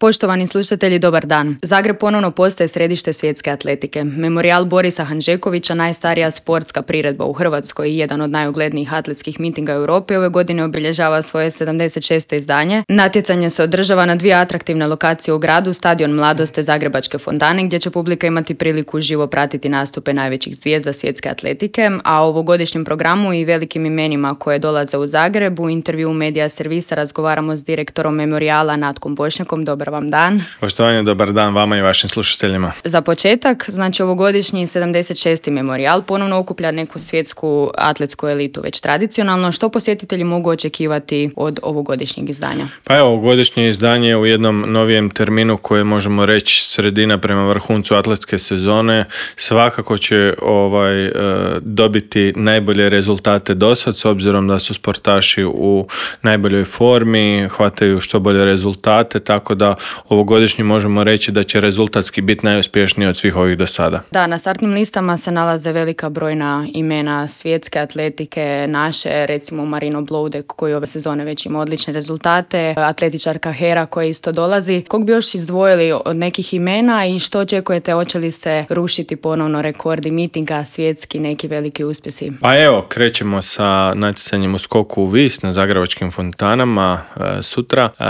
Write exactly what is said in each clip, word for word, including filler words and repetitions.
Poštovani slušatelji, dobar dan. Zagreb ponovno postaje središte svjetske atletike. Memorijal Borisa Hanžekovića, najstarija sportska priredba u Hrvatskoj i jedan od najuglednijih atletskih mitinga Europe, ove godine obilježava svoje sedamdeset šesto izdanje. Natjecanje se održava na dvije atraktivne lokacije u gradu, Stadion Mladost, Zagrebačke fontane, gdje će publika imati priliku živo pratiti nastupe najvećih zvijezda svjetske atletike, a o ovogodišnjem programu i velikim imenima koje dolaze u Zagreb u intervju Medija servisa razgovaramo s direktorom Memorijala Natkom Bošnjakom. Dobar vam dan. Poštovanje, dobar dan vama i vašim slušateljima. Za početak, znači ovogodišnji sedamdeset šesti Memorijal ponovno okuplja neku svjetsku atletsku elitu već tradicionalno. Što posjetitelji mogu očekivati od ovogodišnjeg izdanja? Pa evo, ovogodišnje izdanje u jednom novijem terminu koje možemo reći sredina prema vrhuncu atletske sezone svakako će ovaj, dobiti najbolje rezultate dosad, s obzirom da su sportaši u najboljoj formi, hvataju što bolje rezultate, tako da ovogodišnji možemo reći da će rezultatski biti najuspješniji od svih ovih do sada. Da, na startnim listama se nalaze velika brojna imena svjetske atletike, naše, recimo Marino Bloudek koji ove sezone već ima odlične rezultate, atletičarka Hera koja isto dolazi. Kog bi još izdvojili od nekih imena i što očekujete, hoće li se rušiti ponovno rekordi mitinga, svjetski neki veliki uspjesi? Pa evo, krećemo sa natjecanjem u skoku u vis na Zagrebačkim fontanama e, sutra. E,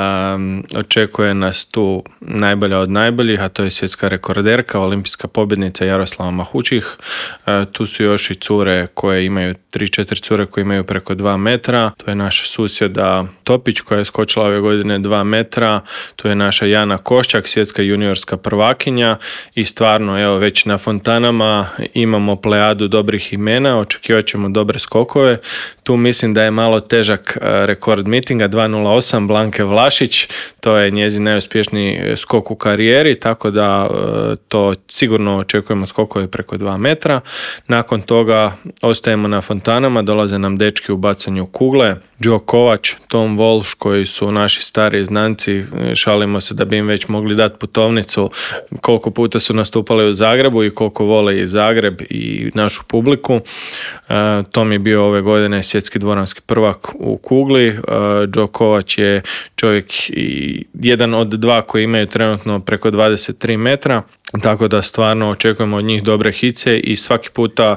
očekuje nas tu najbolja od najboljih, a to je svjetska rekorderka, olimpijska pobjednica Jaroslava Mahučih. E, tu su još i cure koje imaju, tri četiri cure koje imaju preko dva metra. To je naša susjeda Topić koja je skočila ove godine dva metra. Tu je naša Jana Koščak, svjetska juniorska prvakinja i stvarno, evo, već na fontanama imamo plejadu dobrih imena, očekivat ćemo dobre skokove. Tu mislim da je malo težak rekord mitinga, dva nula osam Blanke Vlašić, to je njezin najuspješniji skok u karijeri, tako da to sigurno očekujemo skokove preko dva metra. Nakon toga ostajemo na fontanama, dolaze nam dečki u bacanju kugle, Joe Kovač, Tom Walsh koji su naši stari znanci, šalimo se da bi im već mogli dati putovnicu koliko puta su nastupali u Zagrebu i koliko vole i Zagreb i našu publiku. Tom je bio ove godine svjetski dvoranski prvak u kugli. Joe Kovač je čovjek i jedan od dva koji imaju trenutno preko dvadeset tri metra. Tako da stvarno očekujemo od njih dobre hice i svaki puta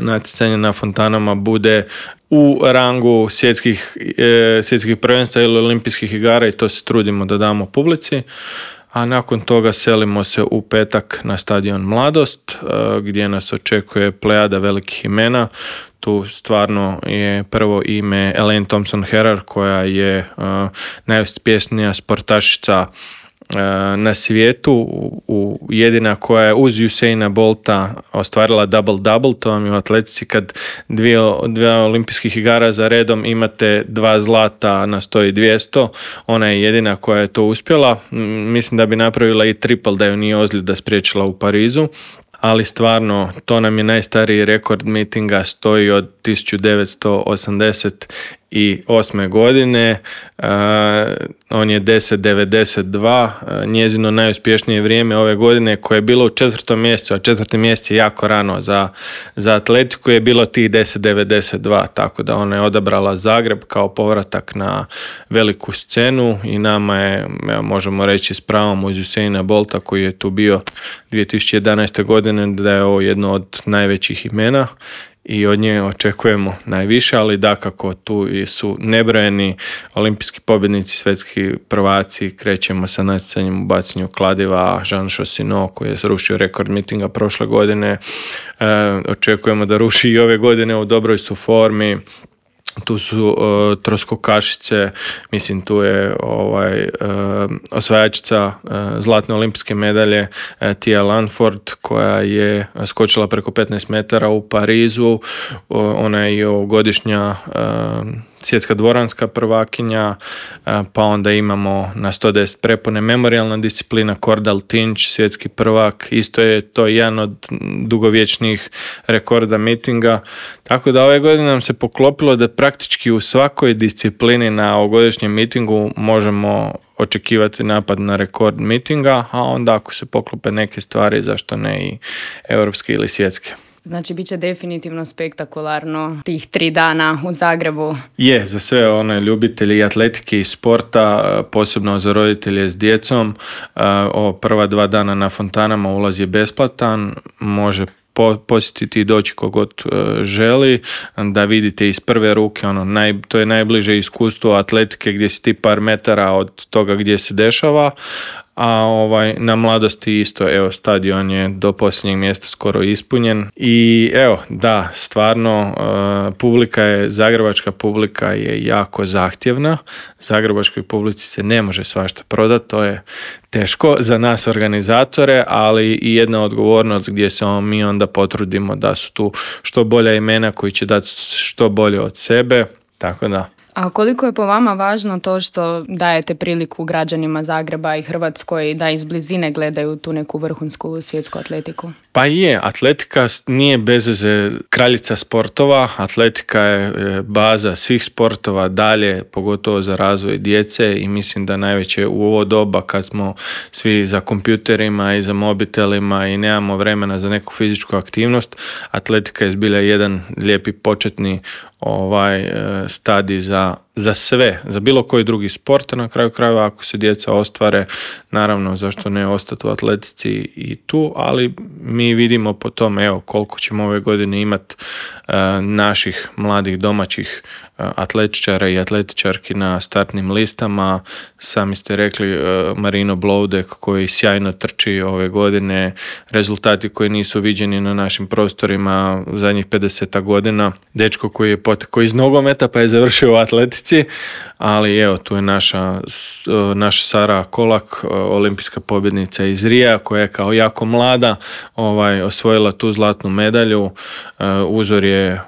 natjecanje na fontanama bude u rangu svjetskih, e, svjetskih prvenstva ili olimpijskih igara i to se trudimo da damo publici. A nakon toga selimo se u petak na Stadion Mladost e, gdje nas očekuje plejada velikih imena. Tu stvarno je prvo ime Elaine Thompson-Herah koja je uh, najuspješnija sportašica uh, na svijetu, u, u jedina koja je uz Usaina Bolta ostvarila double-double, to vam je u atletici kad dvije, dvije olimpijskih igara za redom imate dva zlata na sto i dvjesto, ona je jedina koja je to uspjela. Mislim da bi napravila i triple da ju nije ozljeda spriječila u Parizu. Ali stvarno, to nam je najstariji rekord mitinga, stoji od tisuću devetsto osamdeset osme godine, uh, on je deset devedeset dva, uh, njezino najuspješnije vrijeme ove godine koje je bilo u četvrtom mjesecu, a četvrti mjesec je jako rano za, za atletiku, je bilo tih deset devedeset dva, tako da ona je odabrala Zagreb kao povratak na veliku scenu i nama je, evo, možemo reći s pravom uz Usaina Bolta koji je tu bio dvije tisuće jedanaeste godine, da je ovo jedno od najvećih imena i od nje očekujemo najviše, ali dakako tu su nebrojeni olimpijski pobjednici, svjetski prvaci. Krećemo sa natjecanjem u bacanju kladiva, Jean Chaussino koji je srušio rekord mitinga prošle godine. E, očekujemo da ruši i ove godine, u dobroj su formi. Tu su uh, troskokašice, mislim tu je ovaj, uh, osvajačica uh, zlatne olimpijske medalje uh, Tia Lanford koja je skočila preko petnaest metara u Parizu, uh, ona je i ovogodišnja uh, svjetska dvoranska prvakinja, pa onda imamo na sto deset prepone memorijalna disciplina, Cordal Tinch, svjetski prvak, isto je to jedan od dugovječnih rekorda mitinga, tako da ove godine nam se poklopilo da praktički u svakoj disciplini na ovogodišnjem mitingu možemo očekivati napad na rekord mitinga, a onda ako se poklope neke stvari, zašto ne i europske ili svjetske. Znači, bit će definitivno spektakularno tih tri dana u Zagrebu. Je, za sve one ljubitelji atletike i sporta, posebno za roditelje s djecom, ovo prva dva dana na fontanama ulaz je besplatan, može posjetiti i doći kogod želi, da vidite iz prve ruke, ono, naj, to je najbliže iskustvo atletike gdje si ti par metara od toga gdje se dešava, a ovaj, na Mladosti isto, evo, stadion je do posljednjeg mjesta skoro ispunjen i evo, da, stvarno uh, publika je, zagrebačka publika je jako zahtjevna, zagrebačkoj publici se ne može svašta prodati, to je teško za nas organizatore, ali i jedna odgovornost gdje se mi onda potrudimo da su tu što bolja imena koji će dati što bolje od sebe, tako da. A koliko je po vama važno to što dajete priliku građanima Zagreba i Hrvatskoj da iz blizine gledaju tu neku vrhunsku svjetsku atletiku? Pa je, atletika nije bez veze kraljica sportova, atletika je baza svih sportova dalje, pogotovo za razvoj djece i mislim da najveće u ovo doba kad smo svi za kompjuterima i za mobitelima i nemamo vremena za neku fizičku aktivnost, atletika je zbilja jedan lijepi početni ovaj stadij za, za sve, za bilo koji drugi sport, na kraju krajeva ako se djeca ostvare, naravno zašto ne ostati u atletici i tu, ali mi vidimo po tome, evo, koliko ćemo ove godine imati uh, naših mladih domaćih uh, atletičara i atletičarki na startnim listama. Sami ste rekli uh, Marino Bloudek koji sjajno trči ove godine, rezultati koji nisu viđeni na našim prostorima zadnjih pedeset godina, dečko koji je potekao iz nogometa pa je završio u atletici, ali evo, tu je naša, naša Sara Kolak, olimpijska pobjednica iz Rija, koja je kao jako mlada ovaj, osvojila tu zlatnu medalju. Uzor je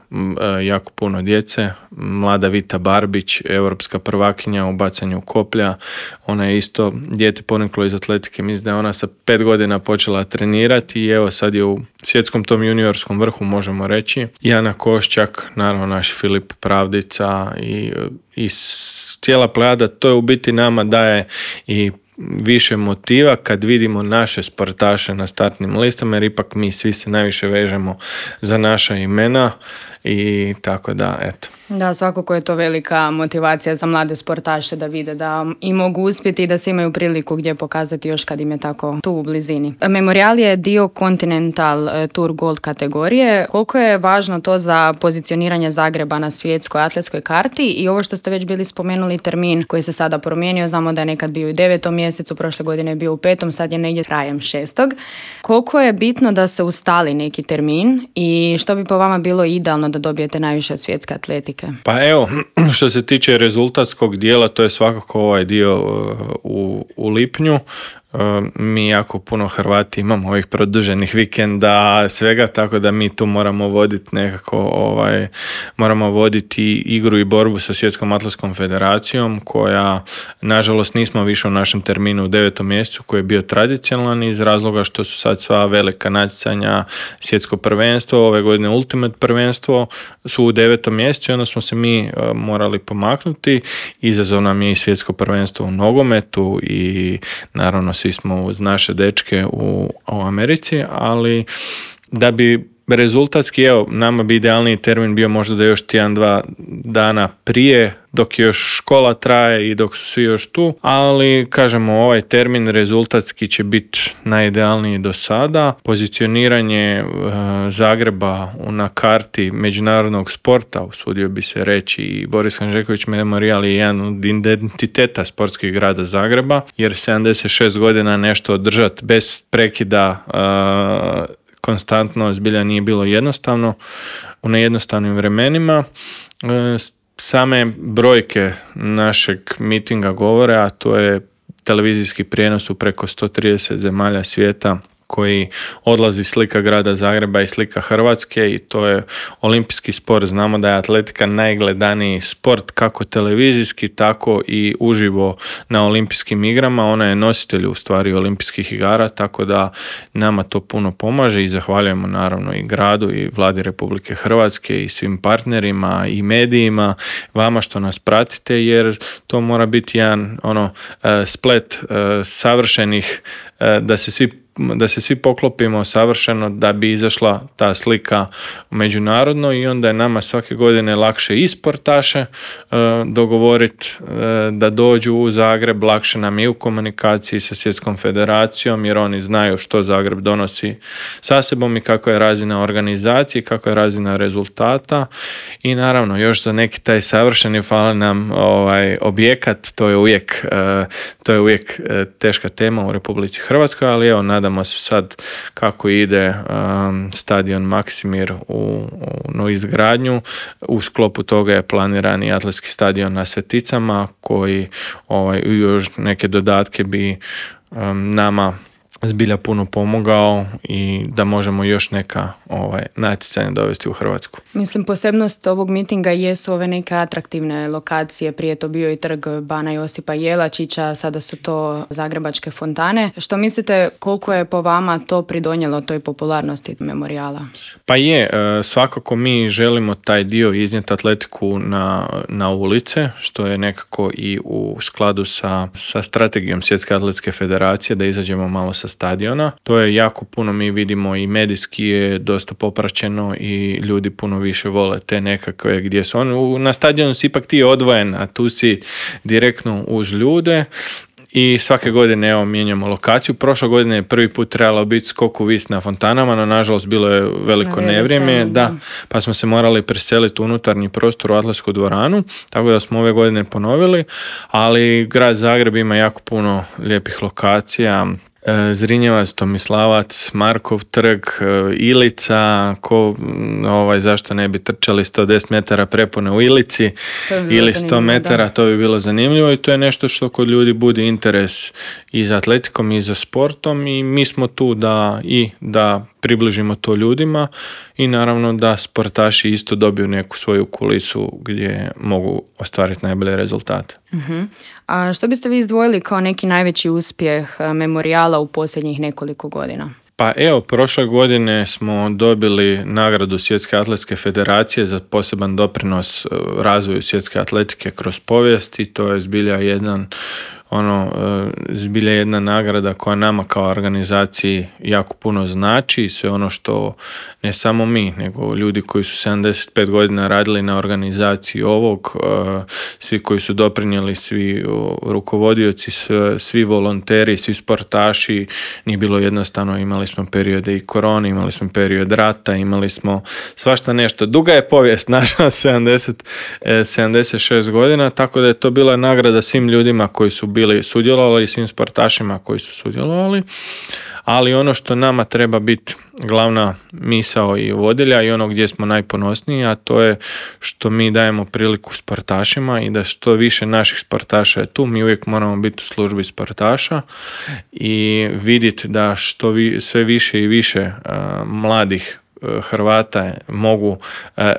jako puno djece. Mlada Vita Barbić, europska prvakinja u bacanju koplja. Ona je isto dijete poniklo iz atletike. Mislim da je ona sa pet godina počela trenirati i evo sad je u svjetskom tom juniorskom vrhu, možemo reći. Jana Košćak, naravno naš Filip Pravdica i, i cijela plejada. To je u biti nama daje i više motiva kad vidimo naše sportaše na startnim listama, jer ipak mi svi se najviše vežemo za naša imena i tako da, eto. Da, svakako je to velika motivacija za mlade sportaše da vide da i mogu uspjeti i da se imaju priliku gdje pokazati još kad im je tako tu u blizini. Memorial je dio Continental Tour Gold kategorije. Koliko je važno to za pozicioniranje Zagreba na svjetskoj atletskoj karti i ovo što ste već bili spomenuli, termin koji se sada promijenio, znamo da je nekad bio u devetom mjesecu, prošle godine je bio u petom, sad je negdje krajem šestog. Koliko je bitno da se ustali neki termin i što bi po vama bilo idealno da dobijete najviše od svjetske atletike? Pa evo, što se tiče rezultatskog dijela, to je svakako ovaj dio u, u lipnju. Mi jako puno Hrvati imamo ovih produženih vikenda, svega, tako da mi tu moramo voditi nekako, ovaj, moramo voditi igru i borbu sa Svjetskom atletskom federacijom, koja, nažalost, nismo više u našem terminu u devetom mjesecu, koji je bio tradicionalan iz razloga što su sad sva velika natjecanja, svjetsko prvenstvo, ove godine Ultimate prvenstvo, su u devetom mjesecu i onda smo se mi uh, morali pomaknuti. Izazov nam je i svjetsko prvenstvo u nogometu i naravno svi smo uz naše dečke u, u Americi, ali da bi rezultatski, evo, nama bi idealniji termin bio možda da još tjedan, dva dana prije, dok još škola traje i dok su svi još tu, ali kažemo, ovaj termin rezultatski će biti najidealniji do sada. Pozicioniranje uh, Zagreba na karti međunarodnog sporta, usudio bi se reći, i Boris Hanžeković Memorial je jedan od identiteta sportskih grada Zagreba, jer sedamdeset šest godina nešto održati bez prekida uh, konstantno zbilja nije bilo jednostavno u nejednostavnim vremenima. Same brojke našeg mitinga govore, a to je televizijski prijenos u preko sto trideset zemalja svijeta koji odlazi slika grada Zagreba i slika Hrvatske, i to je olimpijski sport. Znamo da je atletika najgledaniji sport, kako televizijski, tako i uživo na olimpijskim igrama. Ona je nositelj u stvari olimpijskih igara, tako da nama to puno pomaže i zahvaljujemo naravno i gradu i Vladi Republike Hrvatske i svim partnerima i medijima, vama što nas pratite, jer to mora biti jedan ono splet savršenih, da se svi da se svi poklopimo savršeno da bi izašla ta slika međunarodno i onda je nama svake godine lakše i sportaše dogovoriti da dođu u Zagreb, lakše nam je u komunikaciji sa Svjetskom federacijom jer oni znaju što Zagreb donosi sa sobom i kako je razina organizacije, kako je razina rezultata i naravno još za neki taj savršeni fali nam ovaj objekat, to je uvijek to je uvijek teška tema u Republici Hrvatskoj, ali evo nadamo se sad kako ide um, stadion Maksimir u, u no izgradnju. U sklopu toga je planiran i atletski stadion na Sveticama koji ovaj, još neke dodatke bi um, nama zbilja puno pomogao i da možemo još neka ovaj, natjecanja dovesti u Hrvatsku. Mislim, posebnost ovog mitinga jesu ove neke atraktivne lokacije. Prije to bio i trg Bana Josipa Jelačića, sada su to zagrebačke fontane. Što mislite, koliko je po vama to pridonijelo toj popularnosti memorijala? Pa je, svakako mi želimo taj dio iznijeti atletiku na, na ulice, što je nekako i u skladu sa, sa strategijom Svjetske atletske federacije, da izađemo malo sa stadiona. To je jako puno, mi vidimo i medijski je dosta popraćeno i ljudi puno više vole te nekakve gdje su on. Na stadionu si ipak ti odvojen, a tu si direktno uz ljude. I svake godine evo mijenjamo lokaciju. Prošle godine je prvi put trebalo biti skok u vis na fontanama, no nažalost bilo je veliko nevrijeme, da, pa smo se morali preseliti u unutarnji prostor u atletsku dvoranu, tako da smo ove godine ponovili, ali grad Zagreb ima jako puno lijepih lokacija. Zrinjevac, Tomislavac, Markov trg, Ilica, ko, ovaj, zašto ne bi trčali sto deset metara prepone u Ilici ili sto metara, da. To bi bilo zanimljivo i to je nešto što kod ljudi budi interes i za atletikom i za sportom i mi smo tu da i da približimo to ljudima i naravno da sportaši isto dobiju neku svoju kulisu gdje mogu ostvariti najbolje rezultate. Uh-huh. A što biste vi izdvojili kao neki najveći uspjeh memorijala u posljednjih nekoliko godina? Pa evo, prošle godine smo dobili nagradu Svjetske atletske federacije za poseban doprinos razvoju svjetske atletike kroz povijest i to je zbilja jedan ono, zbilja jedna nagrada koja nama kao organizaciji jako puno znači i sve ono što ne samo mi, nego ljudi koji su sedamdeset pet godina radili na organizaciji ovog, svi koji su doprinijeli, svi rukovodioci, svi volonteri, svi sportaši, nije bilo jednostavno, imali smo periode i korone, imali smo period rata, imali smo svašta nešto. Duga je povijest naša, sedamdeset, sedamdeset šest godina, tako da je to bila nagrada svim ljudima koji su bili sudjelovali, svim sportašima koji su sudjelovali, ali ono što nama treba biti glavna misao i vodilja i ono gdje smo najponosniji, a to je što mi dajemo priliku sportašima i da što više naših sportaša je tu, mi uvijek moramo biti u službi sportaša i vidjeti da što vi, sve više i više uh, mladih Hrvata mogu uh,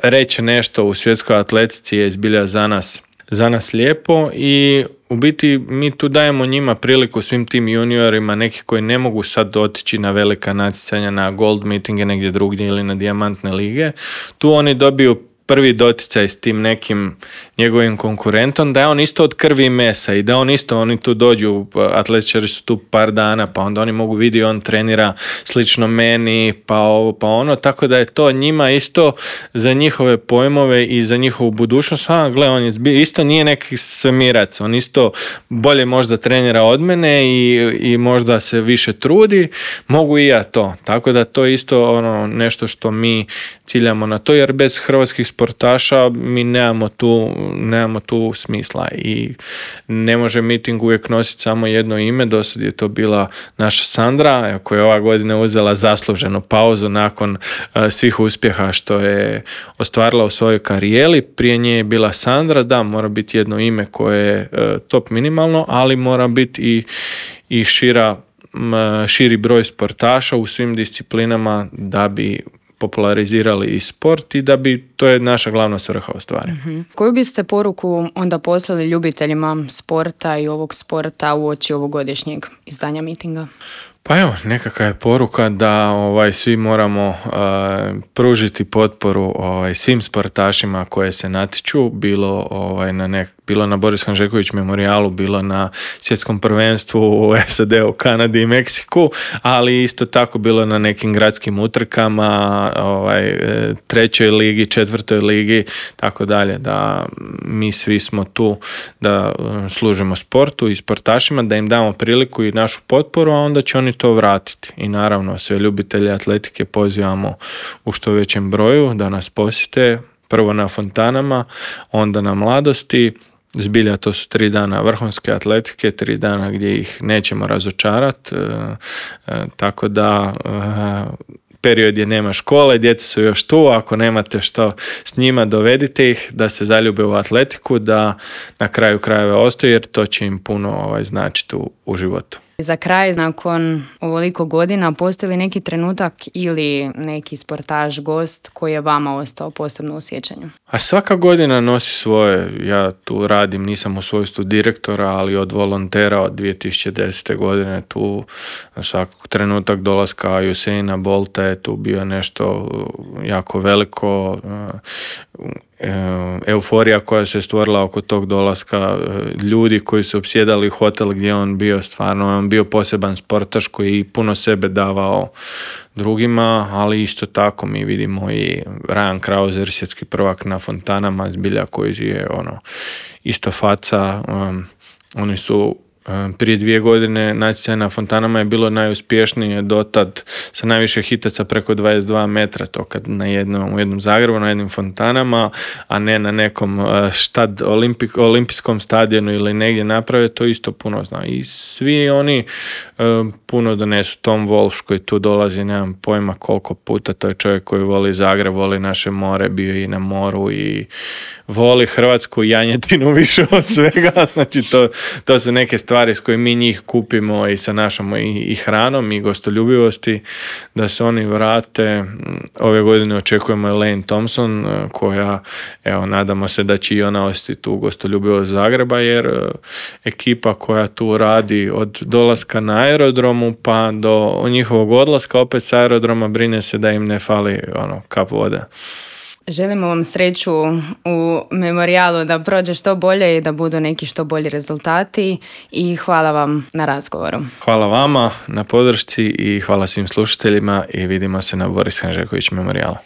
reći nešto u svjetskoj atletici je zbilja za nas za nas lijepo i u biti mi tu dajemo njima priliku svim tim juniorima, neki koji ne mogu sad otići na velika natjecanja, na gold meetinge negdje drugdje ili na dijamantne lige. Tu oni dobiju prvi doticaj s tim nekim njegovim konkurentom, da je on isto od krvi i mesa i da on isto, oni tu dođu, atletičari su tu par dana, pa onda oni mogu vidjeti, on trenira slično meni, pa ovo, pa ono, tako da je to njima isto za njihove pojmove i za njihovu budućnost. A, gle, on je isto nije neki svemirac, on isto bolje možda trenira od mene i, i možda se više trudi, mogu i ja to. Tako da to je isto ono nešto što mi ciljamo na to, jer bez hrvatskih sportaša mi nemamo tu, nemamo tu smisla i ne može miting uvijek nositi samo jedno ime. Dosad je to bila naša Sandra koja je ova godina uzela zasluženu pauzu nakon uh, svih uspjeha što je ostvarila u svojoj karijeri. Prije nje je bila Sandra, da, mora biti jedno ime koje je uh, top minimalno, ali mora biti i, i šira, m, širi broj sportaša u svim disciplinama da bi popularizirali i sport i da bi to je naša glavna svrha u stvari. Mm-hmm. Koju biste poruku onda poslali ljubiteljima sporta i ovog sporta uoči ovogodišnjeg izdanja mitinga? Pa evo, nekakva je poruka da ovaj, svi moramo uh, pružiti potporu ovaj, svim sportašima koje se natječu, bilo, ovaj, na nek, bilo na Boris Hanžeković memorijalu, bilo na svjetskom prvenstvu u S A D-u, Kanadi i Meksiku, ali isto tako bilo na nekim gradskim utrkama, ovaj, trećoj ligi, četvrtoj ligi, tako dalje, da mi svi smo tu da služimo sportu i sportašima, da im damo priliku i našu potporu, a onda će oni to vratiti. I naravno sve ljubitelje atletike pozivamo u što većem broju da nas posjete, prvo na fontanama, onda na Mladosti. Zbilja to su tri dana vrhunske atletike, tri dana gdje ih nećemo razočarati, e, e, tako da e, period je nema škole, djeca su još tu, ako nemate što s njima, dovedite ih da se zaljube u atletiku, da na kraju krajeva ostaju, jer to će im puno ovaj, značiti u, u životu. Za kraj, nakon ovoliko godina, postoji li neki trenutak ili neki sportaš, gost koji je vama ostao posebno u sjećanju? A svaka godina nosi svoje. Ja tu radim, nisam u svojstvu direktora, ali od volontera od dvije tisuće desete. godine tu svakog trenutak dolaska Usaina Bolta je tu bio nešto jako veliko. Euforija koja se stvorila oko tog dolaska, ljudi koji su opsjedali hotel gdje on bio, stvarno on bio poseban sportaš koji puno sebe davao drugima, ali isto tako mi vidimo i Ryan Krauser, svjetski prvak na fontanama, zbilja koji je ono isto faca. Um, oni su prije dvije godine natjecanje na fontanama je bilo najuspješnije dotad sa najviše hitaca preko dvadeset dva metra, to kad na jednom, u jednom Zagrebu, na jednim fontanama, a ne na nekom štad, olimpik, olimpijskom stadionu ili negdje naprave, to isto puno zna. I svi oni um, puno donesu. Tom Walsh koji tu dolazi, nemam pojma koliko puta, to je čovjek koji voli Zagreb, voli naše more, bio i na moru i voli hrvatsku janjetinu više od svega, znači to, to su neke stvari s koje mi njih kupimo i sa našom i, i hranom i gostoljubivosti, da se oni vrate. Ove godine očekujemo Elaine Thompson, koja, evo, nadamo se da će i ona ostati tu gostoljubivost Zagreba, jer ekipa koja tu radi od dolaska na aerodromu pa do njihovog odlaska opet sa aerodroma brine se da im ne fali ono, kap vode. Želimo vam sreću u memorijalu, da prođe što bolje i da budu neki što bolji rezultati i hvala vam na razgovoru. Hvala vama na podršci i hvala svim slušateljima i vidimo se na Boris Hanžeković memorijalu.